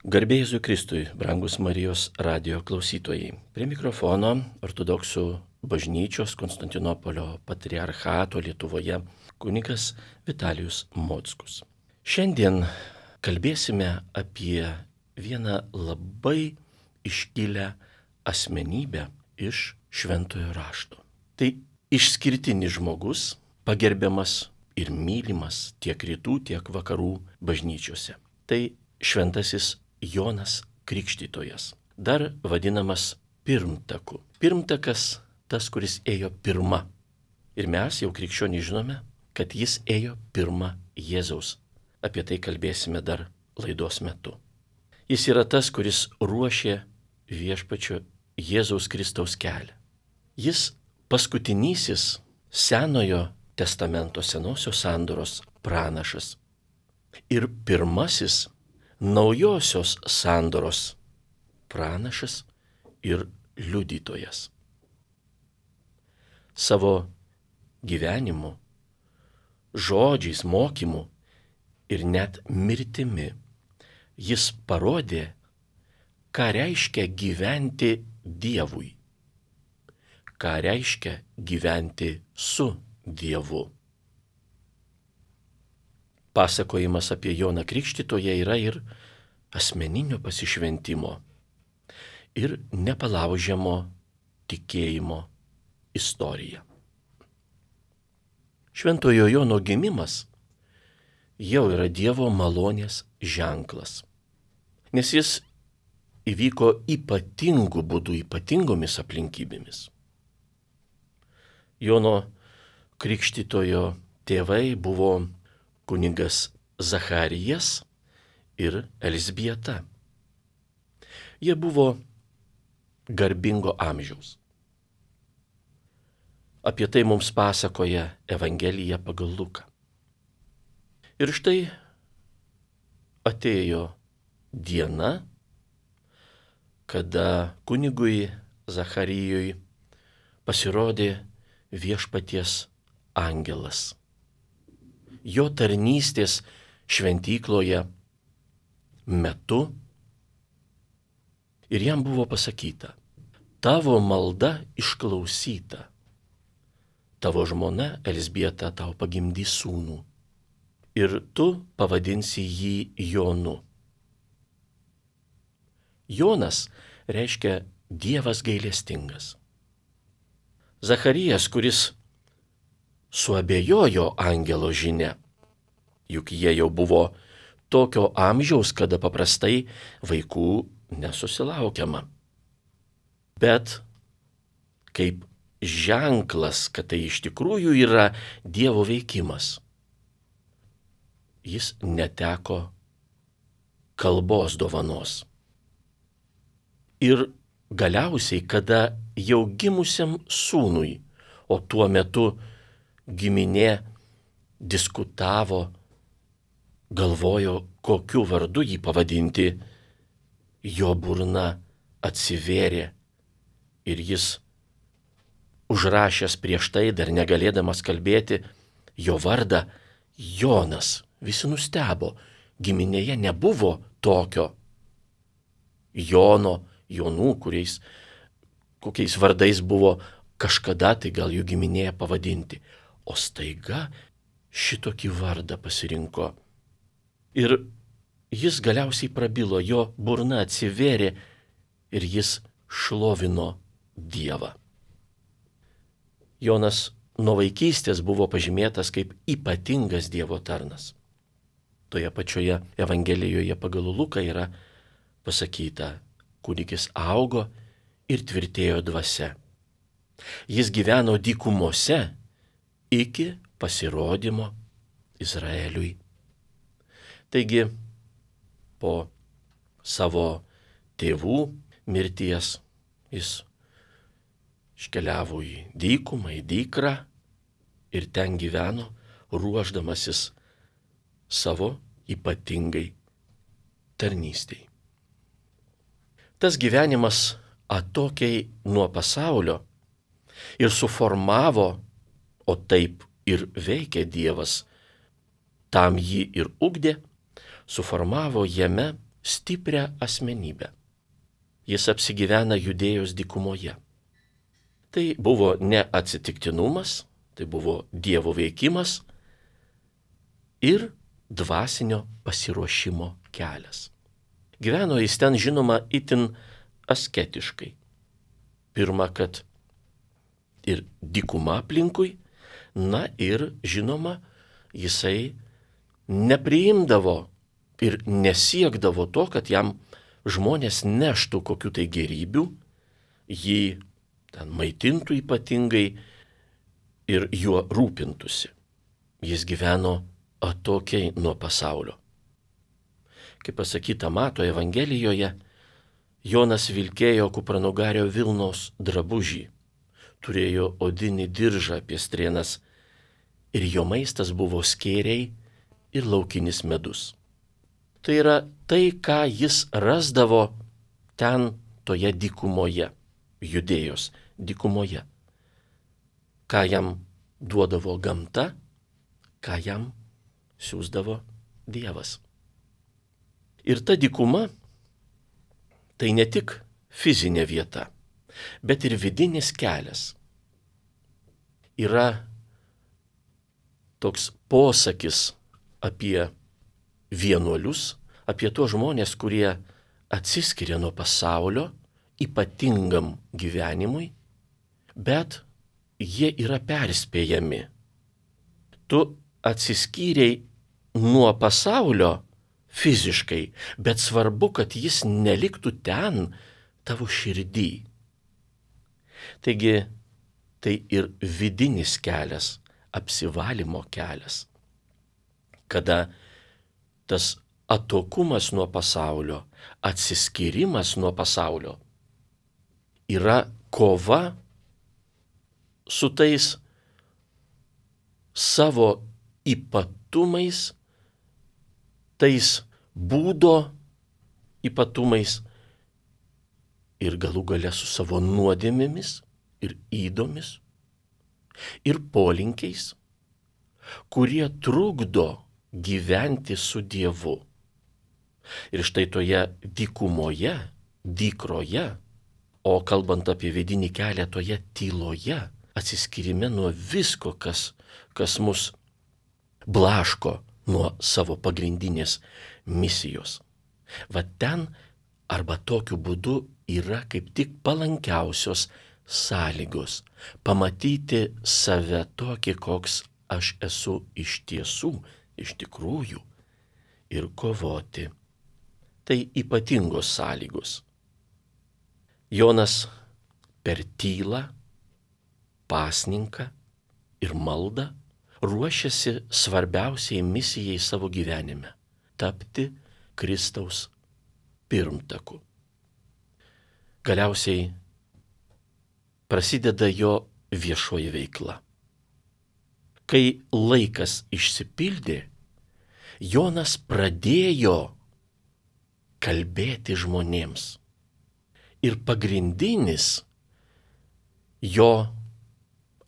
Garbė Jėzui Kristui, brangus Marijos radijo klausytojai. Prie mikrofono ortodoksų bažnyčios Konstantinopolio patriarchato Lietuvoje kunigas Vitalijus Mockus. Šiandien kalbėsime apie vieną labai iškilę asmenybę iš Šventojo rašto. Tai išskirtinis žmogus, pagerbiamas ir mylimas tiek rytų, tiek vakarų bažnyčiose. Tai šventasis Jonas Krikštytojas, dar vadinamas pirmtaku. Pirmtakas tas, kuris ėjo pirma. Ir mes jau krikščionys žinome, kad jis ėjo pirma Jėzaus. Apie tai kalbėsime dar laidos metu. Jis yra tas, kuris ruošė viešpačio Jėzaus Kristaus kelią. Jis paskutinysis Senojo testamento, senosios sandoros pranašas. Ir pirmasis naujosios sandoros pranašas ir liudytojas. Savo gyvenimu, žodžiais, mokymu ir net mirtimi jis parodė, ką reiškia gyventi Dievui, ką reiškia gyventi su Dievu. Pasakojimas apie Joną Krikštytoją yra ir asmeninio pasišventimo, ir nepalaužiamo tikėjimo istorija. Šventojo Jono gimimas jau yra Dievo malonės ženklas, nes jis įvyko ypatingu būdu, ypatingomis aplinkybėmis. Jono Krikštytojo tėvai buvo kunigas Zacharijas ir Elzbieta. Jie buvo garbingo amžiaus. Apie tai mums pasakoja Evangelija pagal Luką. Ir štai atėjo diena, kada kunigui Zacharijui pasirodė viešpaties angelas. Jo tarnystės šventykloje metu ir jam buvo pasakyta: tavo malda išklausyta, tavo žmona Elzbieta tau pagimdys sūnų ir tu pavadinsi jį Jonu. Jonas reiškia Dievas gailestingas. Zacharijas, kuris suabejojo angelo žinia, juk jie jau buvo tokio amžiaus, kada paprastai vaikų nesusilaukiama. Bet kaip ženklas, kad tai iš tikrųjų yra Dievo veikimas, jis neteko kalbos dovanos. Ir galiausiai, kada jau gimusiam sūnui, o tuo metu giminė diskutavo, galvojo, kokiu vardu jį pavadinti, jo burna atsivėrė ir jis, užrašęs prieš tai, dar negalėdamas kalbėti, jo vardą Jonas. Visi nustebo, giminėje nebuvo tokio Jono, Jonų, kokiais vardais buvo kažkada tai gal jų giminėje pavadinti. O staiga šitokį vardą pasirinko. Ir jis galiausiai prabilo, jo burna atsivėrė ir jis šlovino Dievą. Jonas nuo vaikystės buvo pažymėtas kaip ypatingas Dievo tarnas. Toje pačioje Evangelijoje pagal Luką yra pasakyta: kūdikis augo ir tvirtėjo dvasia. Jis gyveno dykumose iki pasirodymo Izraeliui. Taigi, po savo tėvų mirties jis iškeliavo į dykumą, į dykrą ir ten gyveno, ruošdamasis savo ypatingai tarnystei. Tas gyvenimas atokiai nuo pasaulio ir suformavo, o taip ir veikė Dievas, tam jį ir ugdė, suformavo jame stiprią asmenybę. Jis apsigyvena Judėjos dykumoje. Tai buvo ne atsitiktinumas, tai buvo Dievo veikimas ir dvasinio pasiruošimo kelias. Gyveno jis ten, žinoma, itin asketiškai. Pirma, kad ir dykuma aplinkui, na ir, žinoma, jisai nepriimdavo ir nesiekdavo to, kad jam žmonės neštų kokių tai gerybių, jį ten maitintų ypatingai ir juo rūpintųsi. Jis gyveno atokiai nuo pasaulio. Kaip pasakyta Mato Evangelijoje, Jonas vilkėjo kupranugario vilnos drabužį, turėjo odinį diržą apie strėnas ir jo maistas buvo skėriai ir laukinis medus. Tai yra tai, ką jis rasdavo ten toje dykumoje, Judėjos dykumoje. Ką jam duodavo gamta, ką jam siųsdavo Dievas. Ir ta dykuma tai ne tik fizinė vieta, bet ir vidinis kelias. Yra toks posakis apie vienuolius, apie tuos žmonės, kurie atsiskiria nuo pasaulio ypatingam gyvenimui, bet jie yra perspėjami. Tu atsiskyrei nuo pasaulio fiziškai, bet svarbu, kad jis neliktų ten tavo širdį. Taigi, tai ir vidinis kelias, apsivalymo kelias, kada tas atokumas nuo pasaulio, atsiskyrimas nuo pasaulio yra kova su tais savo ypatumais, tais būdo ypatumais ir galų gale su savo nuodėmėmis ir ydomis ir polinkiais, kurie trukdo gyventi su Dievu. Ir štai toje dykumoje, dykroje, o kalbant apie vidinį kelią, toje tyloje, atsiskyrime nuo visko, kas mus blaško nuo savo pagrindinės misijos. Va ten arba tokiu būdu yra kaip tik palankiausios sąlygos pamatyti save tokį, koks aš esu iš tiesų, iš tikrųjų, ir kovoti. Tai ypatingos sąlygos. Jonas per tylą, pasninką ir maldą ruošiasi svarbiausiai misijai savo gyvenime – tapti Kristaus pirmtaku. Galiausiai prasideda jo viešoji veikla. Kai laikas išsipildė, Jonas pradėjo kalbėti žmonėms. Ir pagrindinis jo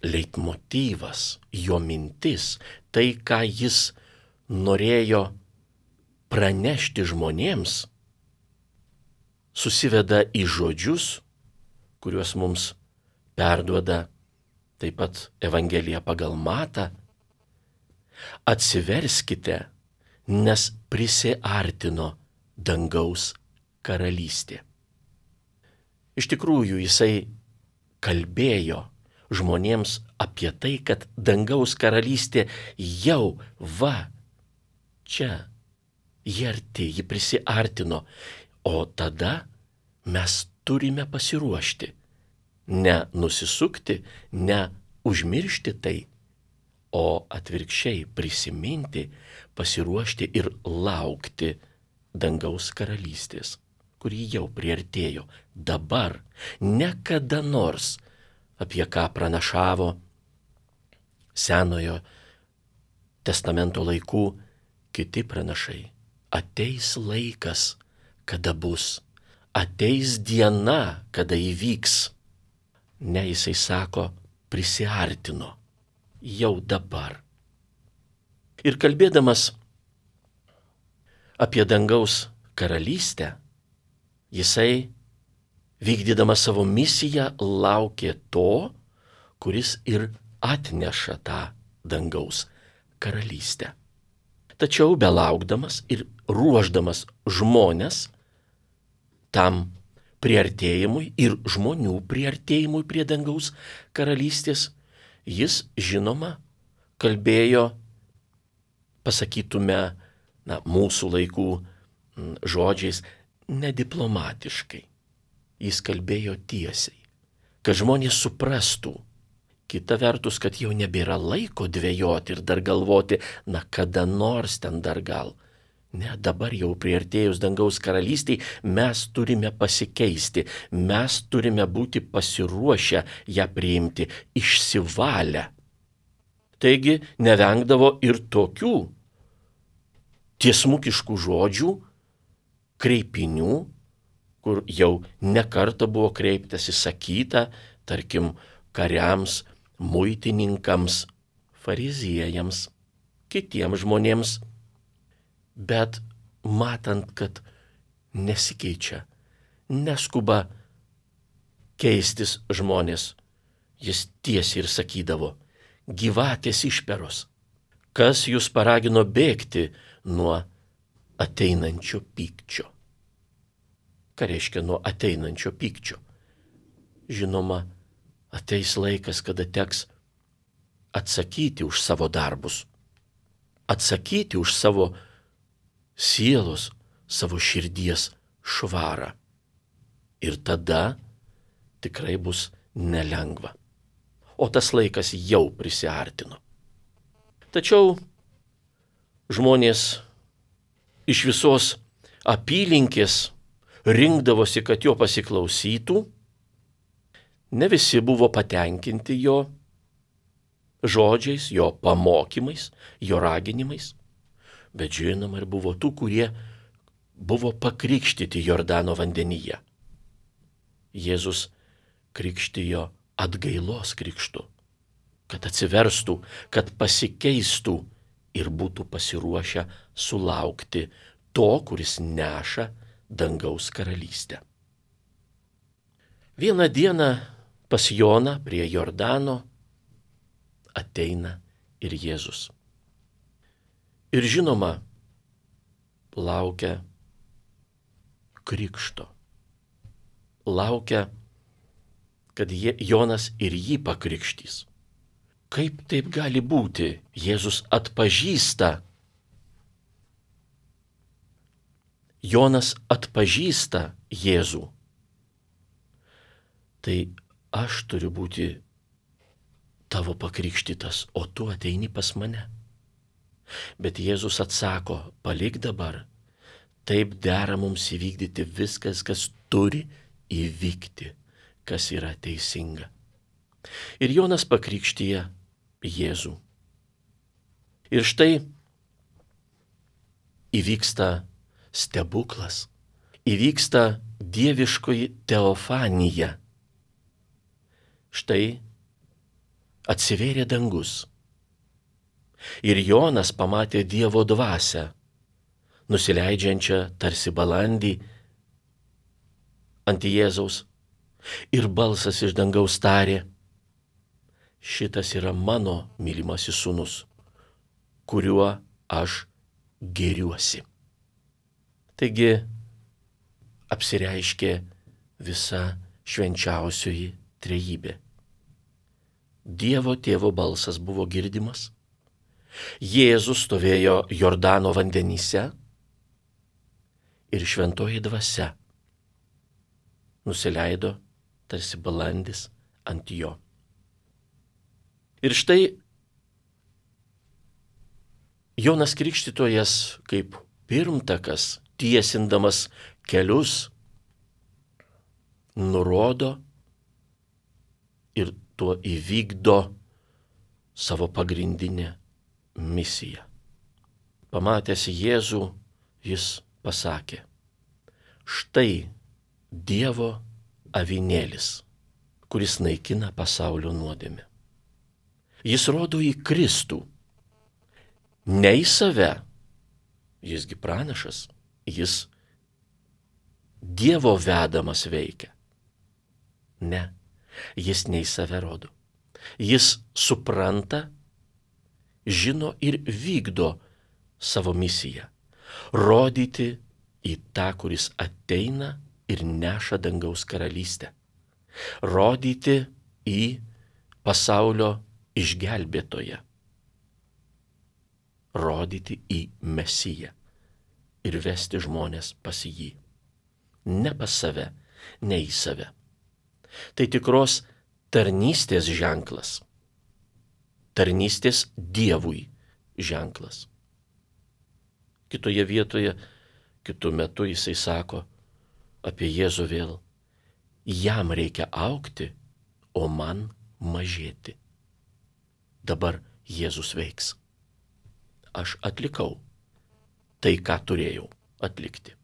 leitmotyvas, jo mintis, tai, ką jis norėjo pranešti žmonėms, susiveda į žodžius, kuriuos mums perduoda taip pat Evangelija pagal Matą. Atsiverskite, nes prisiartino dangaus karalystė. Iš tikrųjų, jisai kalbėjo žmonėms apie tai, kad dangaus karalystė jau čia, ji arti, ji prisiartino, o tada mes turime pasiruošti, ne nusisukti, ne užmiršti tai, o atvirkščiai prisiminti, pasiruošti ir laukti dangaus karalystės, kuri jau priartėjo dabar, ne kada nors, apie ką pranašavo Senojo testamento laikų kiti pranašai. Ateis laikas, kada bus, ateis diena, kada įvyks. Ne, jisai sako, prisiartino jau dabar. Ir kalbėdamas apie dangaus karalystę, jisai, vykdydamas savo misiją, laukė to, kuris ir atneša tą dangaus karalystę. Tačiau belaukdamas ir ruošdamas žmonės tam priartėjimui ir žmonių priartėjimui prie dangaus karalystės, jis, žinoma, kalbėjo, pasakytume, mūsų laikų žodžiais, nediplomatiškai. Jis kalbėjo tiesiai, kad žmonės suprastų. Kita vertus, kad jau nebėra laiko dvejoti ir dar galvoti, kada nors ten dar gal. Ne, dabar jau priartėjus dangaus karalystiai mes turime pasikeisti, mes turime būti pasiruošę ją priimti, išsivalę. Taigi nevengdavo ir tokių tiesmukiškų žodžių, kreipinių, kur jau nekartą buvo kreiptasi, sakyta, tarkim, kariams, muitininkams, fariziejams, kitiems žmonėms. Bet matant, kad nesikeičia, neskuba keistis žmonės, jis tiesiai ir sakydavo, gyvatės išperos, kas jūs paragino bėgti nuo ateinančio pykčio. Ką reiškia nuo ateinančio pykčio? Žinoma, ateis laikas, kada teks atsakyti už savo darbus, atsakyti už savo sielos, savo širdies švarą. Ir tada tikrai bus nelengva. O tas laikas jau prisiartino. Tačiau žmonės iš visos apylinkės rinkdavosi, kad jo pasiklausytų. Ne visi buvo patenkinti jo žodžiais, jo pamokymais, jo raginimais. Bet žinoma, ir buvo tų, kurie buvo pakrikštyti Jordano vandenyje. Jėzus krikštijo atgailos krikštu, kad atsiverstų, kad pasikeistų ir būtų pasiruošę sulaukti to, kuris neša dangaus karalystę. Vieną dieną pas Joną prie Jordano ateina ir Jėzus. Ir žinoma, laukia krikšto. Laukia, kad Jonas ir jį pakrikštys. Kaip taip gali būti? Jėzus atpažįsta. Jonas atpažįsta Jėzų. Tai aš turiu būti tavo pakrikštytas, o tu ateini pas mane. Bet Jėzus atsako, palik dabar, taip dera mums įvykdyti viskas, kas turi įvykti, kas yra teisinga. Ir Jonas pakrikštyja Jėzų. Ir štai įvyksta stebuklas, įvyksta dieviškoji teofanija. Štai atsivėrė dangus. Ir Jonas pamatė Dievo dvasią, nusileidžiančią tarsi balandį ant Jėzaus. Ir balsas iš dangaus tarė, šitas yra mano mylimasis sūnus, kuriuo aš gėriuosi. Taigi apsireiškė visa švenčiausioji trejybė. Dievo tėvo balsas buvo girdimas. Jėzus stovėjo Jordano vandenyse ir šventoji dvasia nusileido tarsi balandis ant jo. Ir štai Jonas Krikštytojas kaip pirmtakas, tiesindamas kelius, nurodo ir tuo įvykdo savo pagrindinę misiją. Pamatęs Jėzų, jis pasakė, štai Dievo avinėlis, kuris naikina pasaulio nuodėmę. Jis rodo į Kristų, ne į save, jisgi pranašas, jis Dievo vedamas veikia. Ne, jis ne į save rodo. Jis supranta, žino ir vykdo savo misiją. Rodyti į tą, kuris ateina ir neša dangaus karalystę. Rodyti į pasaulio išgelbėtoją. Rodyti į Mesiją ir vesti žmonės pas jį. Ne pas save, ne į save. Tai tikros tarnystės ženklas. Tarnystės Dievui ženklas. Kitoje vietoje, kitu metu jisai sako apie Jėzų vėl. Jam reikia augti, o man mažėti. Dabar Jėzus veiks. Aš atlikau tai, ką turėjau atlikti.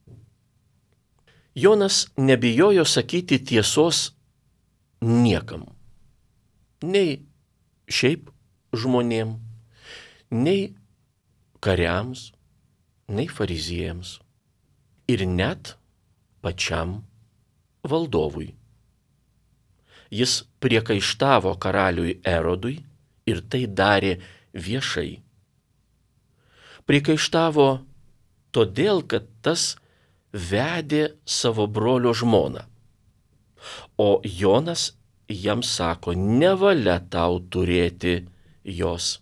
Jonas nebijojo sakyti tiesos niekam. Nei šiaip žmonėm, nei kariams, nei fariziejams ir net pačiam valdovui. Jis priekaištavo karaliui Erodui ir tai darė viešai. Priekaištavo todėl, kad tas vedė savo brolio žmoną. O Jonas jam sako, nevalia tau turėti jos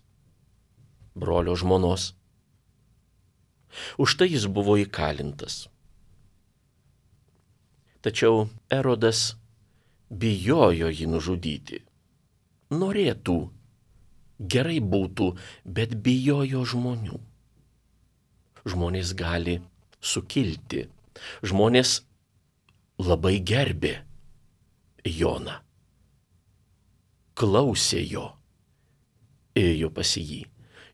brolio žmonos. Už tai jis buvo įkalintas. Tačiau Erodas bijojo jį nužudyti. Norėtų, gerai būtų, bet bijojo žmonių. Žmonės gali sukilti. Žmonės labai gerbė Joną. Klausė jo. Ėjo pas jį.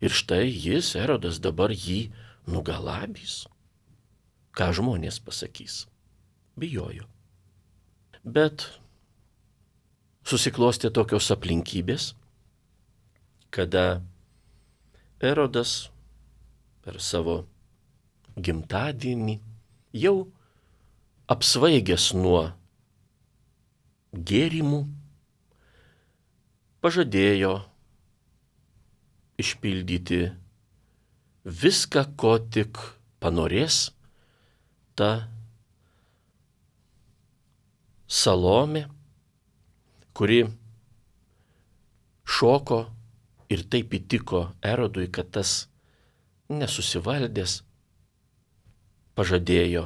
Ir štai jis, Erodas, dabar jį nugalabys. Ką žmonės pasakys? Bijojo. Bet susiklostė tokios aplinkybės, kada Erodas per savo gimtadienį jau apsvaigęs nuo gėrimų pažadėjo išpildyti viską, ko tik panorės ta Salomė, kuri šoko ir taip įtiko Erodui, kad tas nesusivaldęs pažadėjo,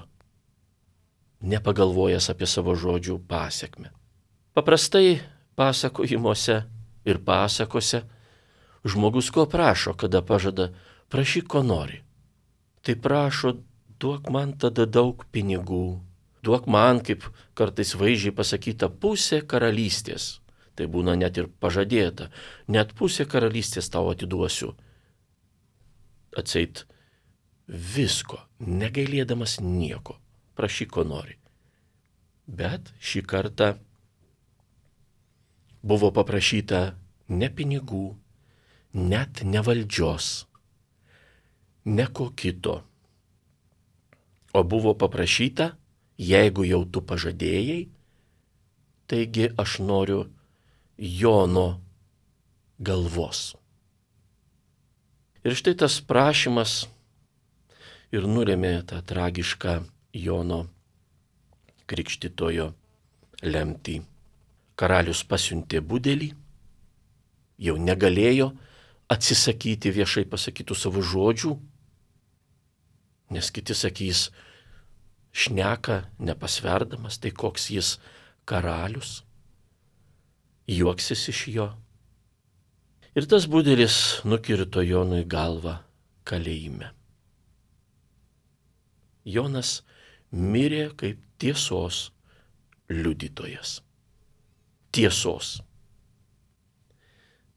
nepagalvojęs apie savo žodžių pasekmę. Paprastai pasakojimuose ir pasakose žmogus ko prašo, kada pažada, prašyk ko nori. Tai prašo, duok man tada daug pinigų, duok man, kaip kartais vaizdžiai pasakyta, pusė karalystės. Tai būna net ir pažadėta, net pusė karalystės tau atiduosiu. Atseit visko, negailėdamas nieko, prašyk ko nori. Bet šį kartą buvo paprašyta ne pinigų, net ne valdžios, ne ko kito, o buvo paprašyta, jeigu jau tu pažadėjai, taigi aš noriu Jono galvos. Ir štai tas prašymas ir nulėmė tą tragišką Jono Krikštytojo lemtį. Karalius pasiuntė budelį, jau negalėjo atsisakyti viešai pasakytų savo žodžių, nes kiti sakys, šneka nepasverdamas, tai koks jis karalius, juoksis iš jo. Ir tas budelis nukirto Jonui galvą kalėjime. Jonas mirė kaip tiesos liudytojas. Tiesos.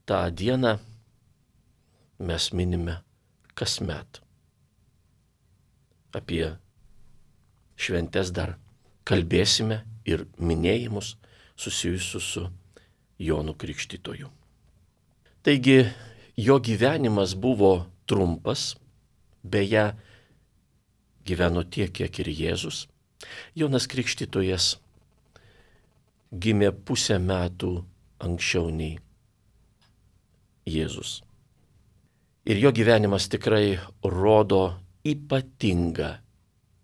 tą dieną mes minime kasmet. Apie šventes dar kalbėsime ir minėjimus susijusius su Jonu Krikštytoju. Taigi jo gyvenimas buvo trumpas, beje, gyveno tiek, kiek ir Jėzus, Jonas Krikštytojas gimė pusę metų anksčiau nei Jėzus. Ir jo gyvenimas tikrai rodo ypatingą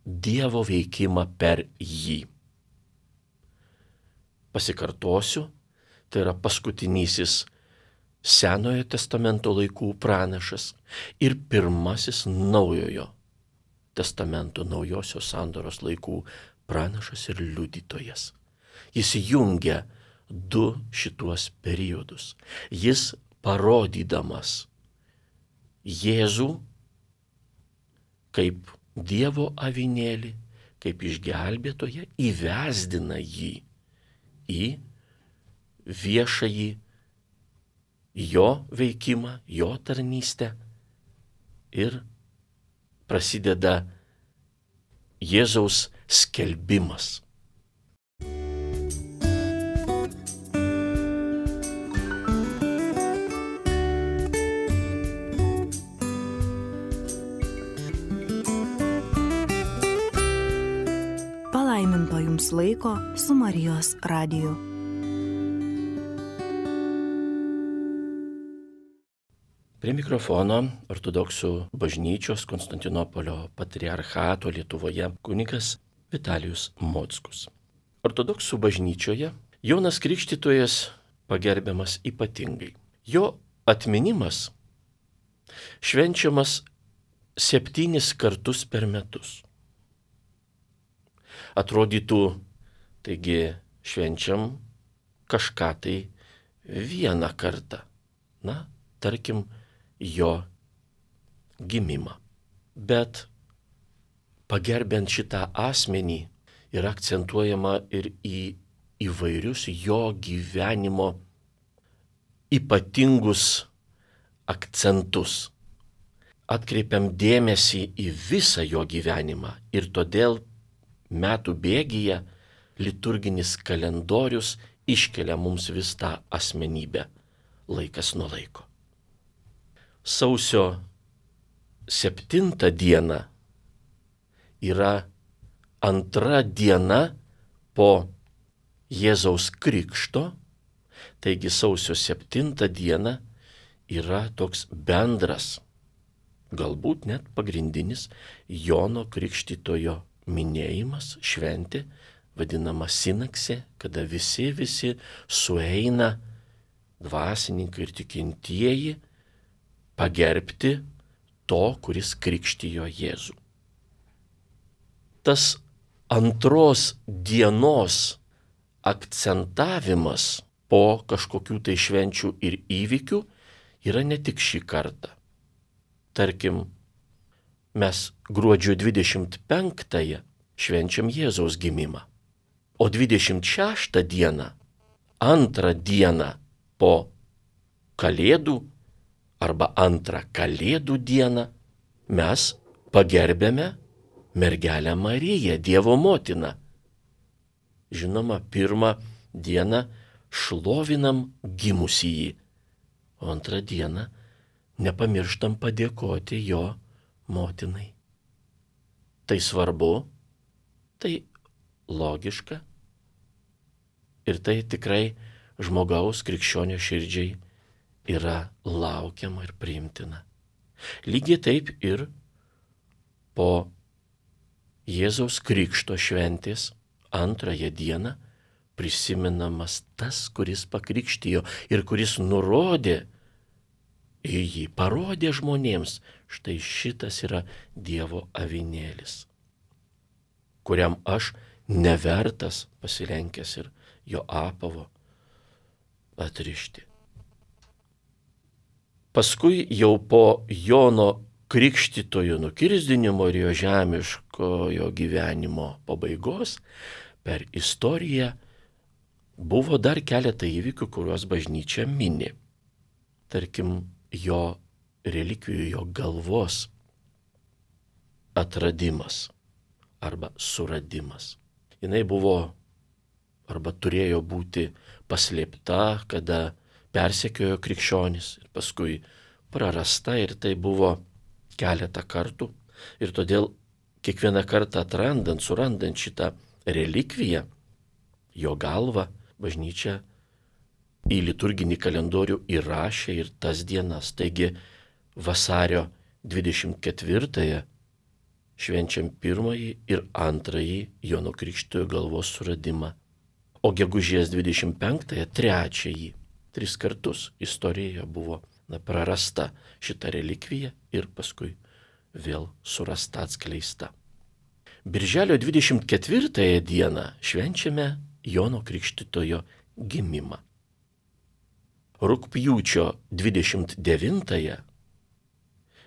Dievo veikimą per jį. Pasikartosiu, tai yra paskutinysis Senojo testamento laikų pranašas ir pirmasis Naujojo testamento naujosios sandoros laikų pranašas ir liudytojas. Jis jungia du šituos periodus. Jis parodydamas Jėzų kaip Dievo avinėlį, kaip išgelbėtoją, įvesdina jį į viešąjį jo veikimą, jo tarnystę ir prasideda Jėzaus skelbimas. Palaiminto jums laiko su Marijos radiju. Prie mikrofono ortodoksų bažnyčios Konstantinopolio patriarchato Lietuvoje kunigas Vitalijus Mockus. Ortodoksų bažnyčioje Jonas Krikštytojas pagerbiamas ypatingai. Jo atminimas švenčiamas 7 kartus per metus. Atrodytų, taigi švenčiam kažką tai vieną kartą. Na, tarkim, jo gimimą. Bet pagerbiant šitą asmenį yra akcentuojama ir į įvairius jo gyvenimo ypatingus akcentus. Atkreipiam dėmesį į visą jo gyvenimą ir todėl metų bėgyje liturginis kalendorius iškelia mums vis tą asmenybę laikas nuo laiko. Sausio 7 diena yra antra diena po Jėzaus krikšto, taigi sausio 7 diena yra toks bendras, galbūt net pagrindinis Jono Krikštytojo minėjimas, šventė, vadinama sinaksė, kada visi sueina, dvasininkai ir tikintieji, pagerbti to, kuris krikštijo Jėzų. Tas antros dienos akcentavimas po kažkokių tai švenčių ir įvykių yra ne tik šį kartą. Tarkim, mes gruodžio 25-ąją švenčiam Jėzaus gimimą, o 26 dieną, antrą dieną po Kalėdų arba antrą Kalėdų dieną mes pagerbėme mergelę Mariją, Dievo motiną. Žinoma, pirmą dieną šlovinam gimusįjį, o antrą dieną nepamirštam padėkoti jo motinai. Tai svarbu, tai logiška ir tai tikrai žmogaus krikščionio širdžiai yra laukiama ir priimtina. Lygiai taip ir po Jėzaus krikšto šventės antrąją dieną prisimenamas tas, kuris pakrikštijo ir kuris nurodė į jį, parodė žmonėms, štai šitas yra Dievo avinėlis, kuriam aš nevertas pasilenkęs ir jo apavo atrišti. Paskui jau po Jono Krikštytojo nukirsdinimo ir jo žemiškojo gyvenimo pabaigos per istoriją buvo dar keletą įvykių, kuriuos bažnyčia mini. Tarkim, jo relikvijų, jo galvos atradimas arba suradimas. Jinai buvo arba turėjo būti paslėpta, kada persekiojo krikščionis ir paskui prarasta, ir tai buvo keletą kartų. Ir todėl kiekvieną kartą surandant šitą relikviją, jo galvą, bažnyčia į liturginį kalendorių įrašė ir tas dienas. Taigi vasario 24-ąją švenčiam pirmąjį ir antrąjį Jono Krikštytojo galvos suradimą, o gegužės 25-ąją trečiąjį. 3 kartus istorijoje buvo prarasta šita relikvija ir paskui vėl surasta, atskleista. Birželio 24 dieną švenčiame Jono Krikštytojo gimimą. Rugpjūčio 29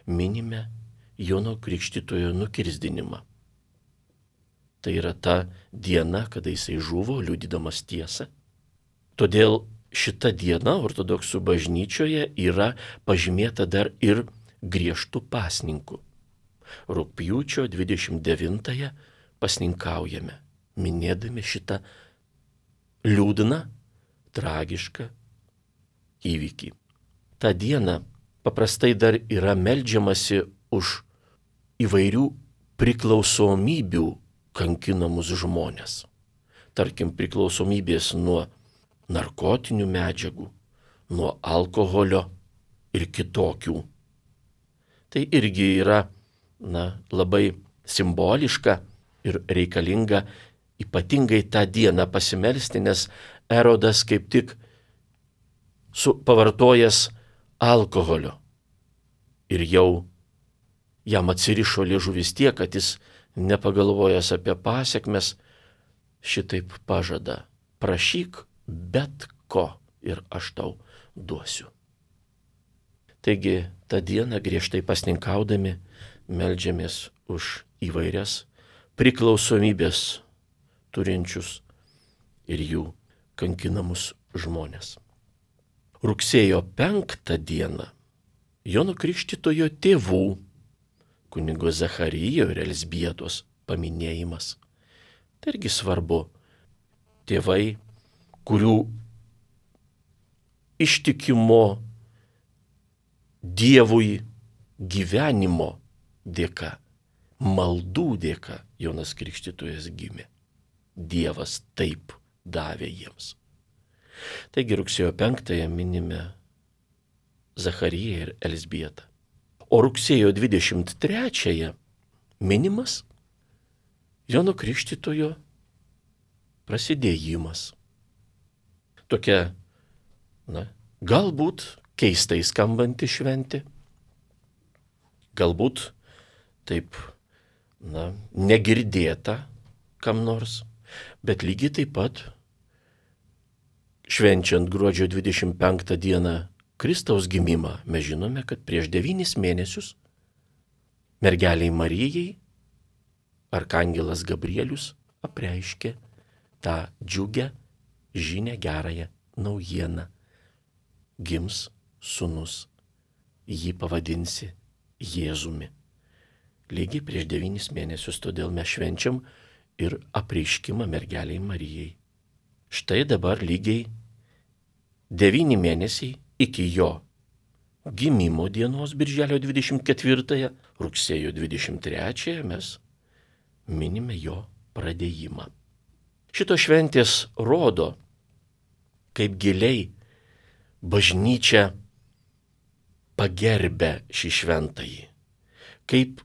minime Jono Krikštytojo nukirsdinimą. Tai yra ta diena, kada jisai žuvo, liudydamas tiesą. Todėl šita diena ortodoksų bažnyčioje yra pažymėta dar ir griežtų pasninkų. Rugpjūčio 29 pasninkaujame, minėdami šitą liūdną, tragišką įvykį. Ta diena paprastai dar yra meldžiamasi už įvairių priklausomybių kankinamus žmonės. Tarkim, priklausomybės nuo narkotinių medžiagų, nuo alkoholio ir kitokių. Tai irgi yra labai simboliška ir reikalinga ypatingai tą dieną pasimelsti, nes Erodas kaip tik pavartojęs alkoholio ir jau jam atsirišo liežuvis tiek, kad jis nepagalvojęs apie pasekmes šitaip pažada: prašyk bet ko ir aš tau duosiu. Taigi tą dieną griežtai pasninkaudami meldžiamės už įvairias priklausomybės turinčius ir jų kankinamus žmonės. Rugsėjo 5 dieną Jono Krikštytojo tėvų, kunigo Zacharijo ir Elzbietos paminėjimas. Tai irgi svarbu. Tėvai, kurių ištikimo Dievui gyvenimo dėka, maldų dėka Jonas Krikštytojas gimė. Dievas taip davė jiems. Taigi rugsėjo 5 minime Zachariją ir Elzbietą. O rugsėjo 23 minimas Jono Krikštytojo prasidėjimas. Tokia, galbūt keistai skambanti šventė, galbūt taip, negirdėta kam nors, bet lygiai taip pat švenčiant gruodžio 25 dieną Kristaus gimimą, mes žinome, kad prieš 9 mėnesius mergeliai Marijai arkangelas Gabrielius apreiškė tą džiugę žinią, gerąją naujieną. Gims sūnus, jį pavadinsi Jėzumi. Lygiai prieš 9 mėnesius, todėl mes švenčiam ir apreiškimą mergeliai Marijai. Štai dabar lygiai 9 mėnesiai iki jo gimimo dienos, birželio 24, rugsėjo 23 mes minime jo pradėjimą. Šito šventės rodo, kaip giliai bažnyčia pagerbė šį šventąjį, kaip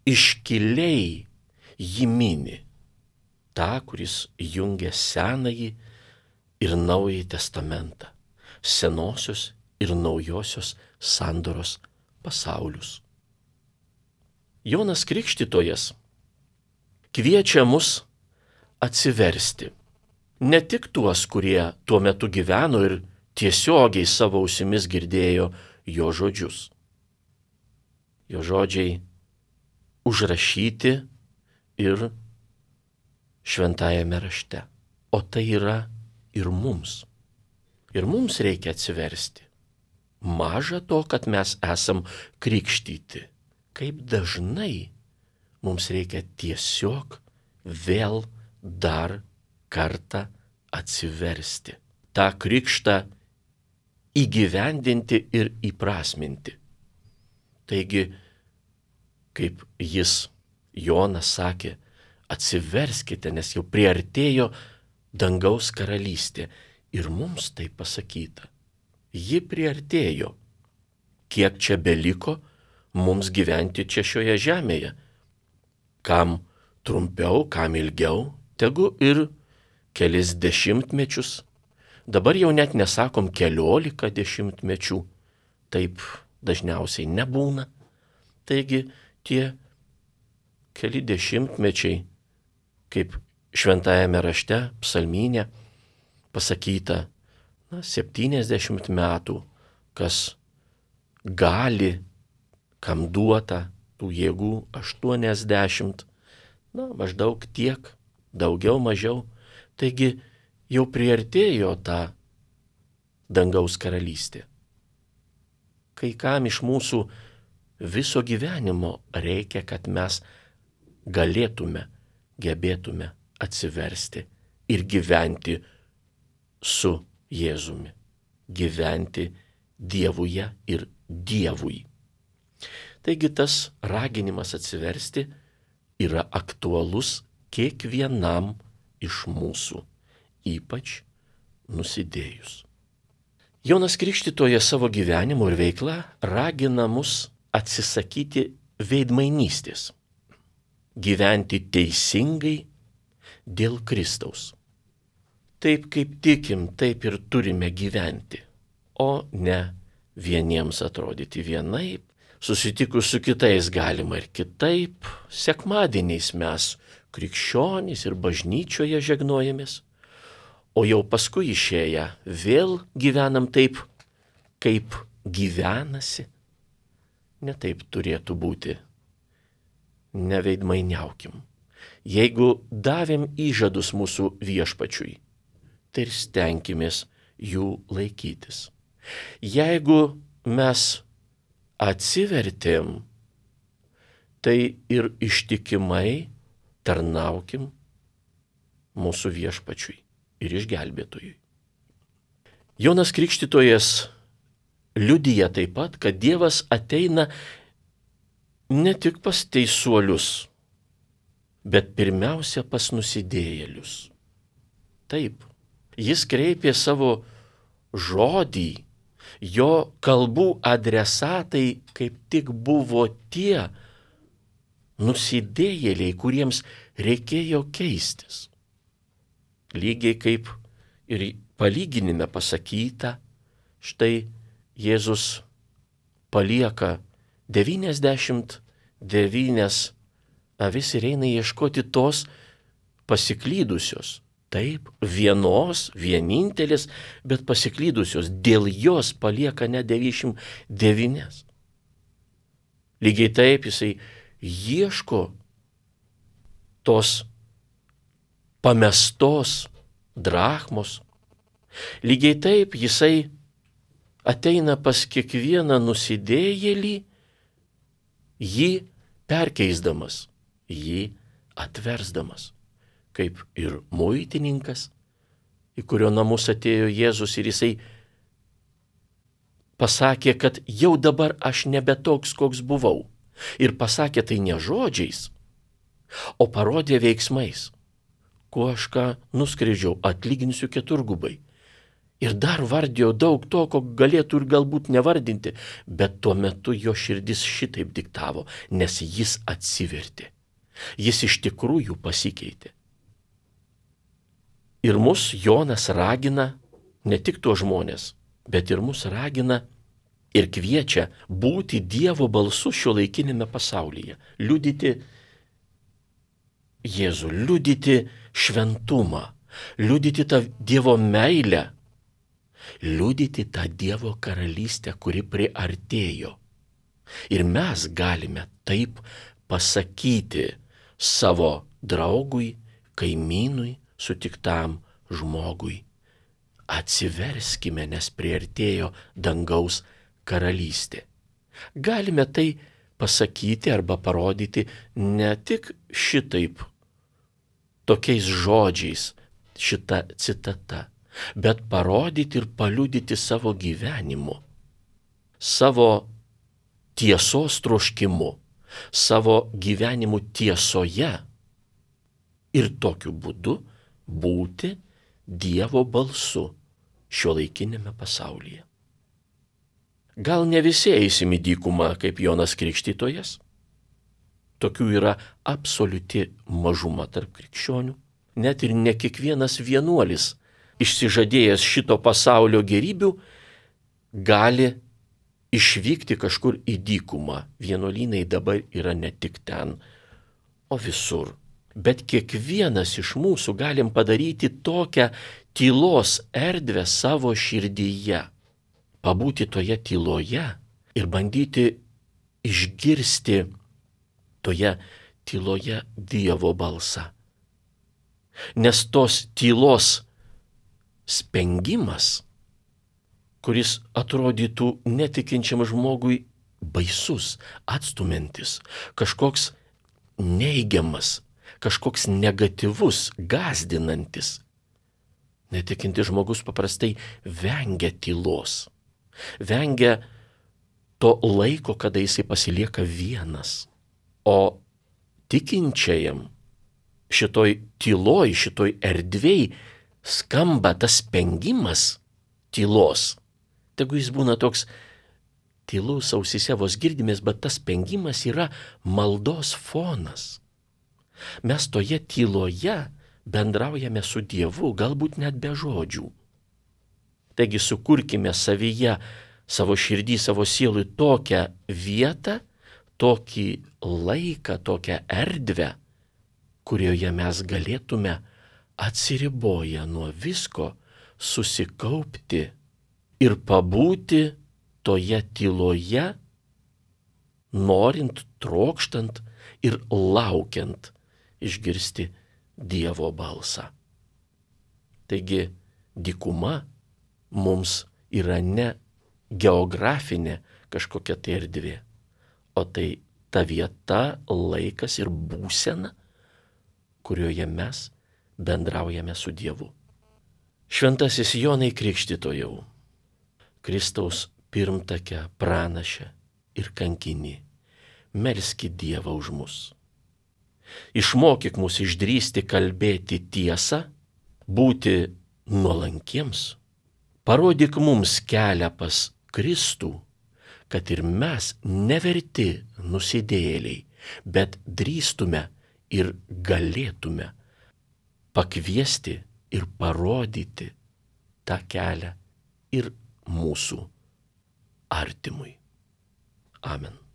iškiliai jį mini, tą, kuris jungia Senąjį ir Naująjį testamentą, senosios ir naujosios sandoros pasaulius. Jonas Krikštytojas kviečia mus atsiversti. Ne tik tuos, kurie tuo metu gyveno ir tiesiogiai savo ausimis girdėjo jo žodžius. Jo žodžiai užrašyti ir šventajame rašte. O tai yra ir mums. Ir mums reikia atsiversti. Maža to, kad mes esam krikštyti. Kaip dažnai mums reikia tiesiog vėl dar kartą atsiversti. tą krikštą įgyvendinti ir įprasminti. Taigi, kaip jis Jonas sakė, atsiverskite, nes jau priartėjo dangaus karalystė. Ir mums tai pasakyta. Ji priartėjo. Kiek čia beliko mums gyventi čia šioje žemėje? Kam trumpiau, kam ilgiau, tegu ir kelis dešimtmečius. Dabar jau net nesakom 14 dešimtmečių. Taip dažniausiai nebūna. Taigi tie keli dešimtmečiai, kaip šventajame rašte, psalmyne pasakyta, 70 metų, kas gali, kam duota tų jėgų 80, maždaug tiek, daugiau, mažiau. Taigi jau priartėjo ta dangaus karalystė. Kai kam iš mūsų viso gyvenimo reikia, kad mes galėtume, gebėtume atsiversti ir gyventi su Jėzumi. Gyventi Dievuje ir Dievui. Taigi tas raginimas atsiversti yra aktualus kiekvienam iš mūsų, ypač nusidėjus. Jonas Krikštytojas savo gyvenimu ir veikla ragina mus atsisakyti veidmainystės, gyventi teisingai dėl Kristaus. Taip kaip tikim, taip ir turime gyventi, o ne vieniems atrodyti vienaip, susitikus su kitais galima ir kitaip. Sekmadieniais mes krikščionys ir bažnyčioje žegnojamės, o jau paskui išėję vėl gyvenam taip, kaip gyvenasi. Ne taip turėtų būti. Neveidmainiaukim. Jeigu davėm įžadus mūsų viešpačiui, tai ir stenkimės jų laikytis. Jeigu mes atsivertėm, tai ir ištikimai tarnaukim mūsų viešpačiui ir išgelbėtojui. Jonas Krikštytojas liudija taip pat, kad Dievas ateina ne tik pas teisuolius, bet pirmiausia pas nusidėjėlius. Taip, jis kreipė savo žodį, jo kalbų adresatai kaip tik buvo tie nusidėjėliai, kuriems reikėjo keistis. Lygiai kaip ir palyginime pasakyta, štai Jėzus palieka 99 avis ir eina ieškoti tos pasiklydusios. Taip, vienintelės, bet pasiklydusios. Dėl jos palieka ne 99. Lygiai taip jisai ieško tos pamestos drachmos. Lygiai taip jisai ateina pas kiekvieną nusidėjėlį, jį perkeisdamas, jį atversdamas. Kaip ir muitininkas, į kurio namus atėjo Jėzus ir jisai pasakė, kad jau dabar aš nebe toks, koks buvau. Ir pasakė tai ne žodžiais, o parodė veiksmais. Kuo aš ką nuskridžiau, atlyginsiu keturgubai. Ir dar vardėjo daug to, ko galėtų ir galbūt nevardinti, bet tuo metu jo širdis šitaip diktavo, nes jis atsivertė. Jis iš tikrųjų pasikeitė. Ir mus Jonas ragina, ne tik tuos žmonės, bet ir mus ragina ir kviečia būti Dievo balsu šiuolaikinėme pasaulyje. Liudyti Jėzų, liudyti šventumą, liudyti tą Dievo meilę, liudyti tą Dievo karalystę, kuri priartėjo. Ir mes galime taip pasakyti savo draugui, kaimynui, sutiktam žmogui. Atsiverskime, nes priartėjo dangaus karalystė. Galime tai pasakyti arba parodyti ne tik šitaip, tokiais žodžiais, šita citata, bet parodyti ir paliudyti savo gyvenimu, savo tiesos troškimu, savo gyvenimu tiesoje ir tokiu būdu būti Dievo balsu šiuolaikinėme pasaulyje. Gal ne visi eisim į dykumą kaip Jonas Krikštytojas? Tokių yra absoliuti mažuma tarp krikščionių. Net ir ne kiekvienas vienuolis, išsižadėjęs šito pasaulio gerybių, gali išvykti kažkur į dykumą. Vienuolynai dabar yra ne tik ten, o visur. Bet kiekvienas iš mūsų galim padaryti tokią tylos erdvę savo širdyje. Pabūti toje tyloje ir bandyti išgirsti toje tyloje Dievo balsą. Nes tos tylos spengimas, kuris atrodytų netikinčiam žmogui baisus, atstumiantis, kažkoks neigiamas, kažkoks negatyvus, gąsdinantis. Netikintis žmogus paprastai vengia tylos, vengia to laiko, kada jisai pasilieka vienas. O tikinčiajam šitoj tyloj, šitoj erdvėj skamba tas spengimas tylos. Tegu jis būna toks tylus, ausyse vos girdimės, bet tas spengimas yra maldos fonas. Mes toje tyloje bendraujame su Dievu, galbūt net be žodžių. Taigi sukurkime savyje, savo širdį, savo sielui tokią vietą, tokį laiką, tokią erdvę, kurioje mes galėtume atsiriboję nuo visko susikaupti ir pabūti toje tyloje, norint, trokštant ir laukiant išgirsti Dievo balsą. Taigi dykuma mums yra ne geografinė kažkokia tai erdvė, o tai ta vieta, laikas ir būsena, kurioje mes bendraujame su Dievu. Šventasis Jonai Krikštytojau, Kristaus pirmtake, pranaše ir kankini, melski Dievą už mus. Išmokyk mus išdrįsti kalbėti tiesą, būti nuolankiems. Parodyk mums kelią pas Kristų, kad ir mes neverti nusidėjėliai, bet drįstume ir galėtume pakviesti ir parodyti tą kelią ir mūsų artimui. Amen.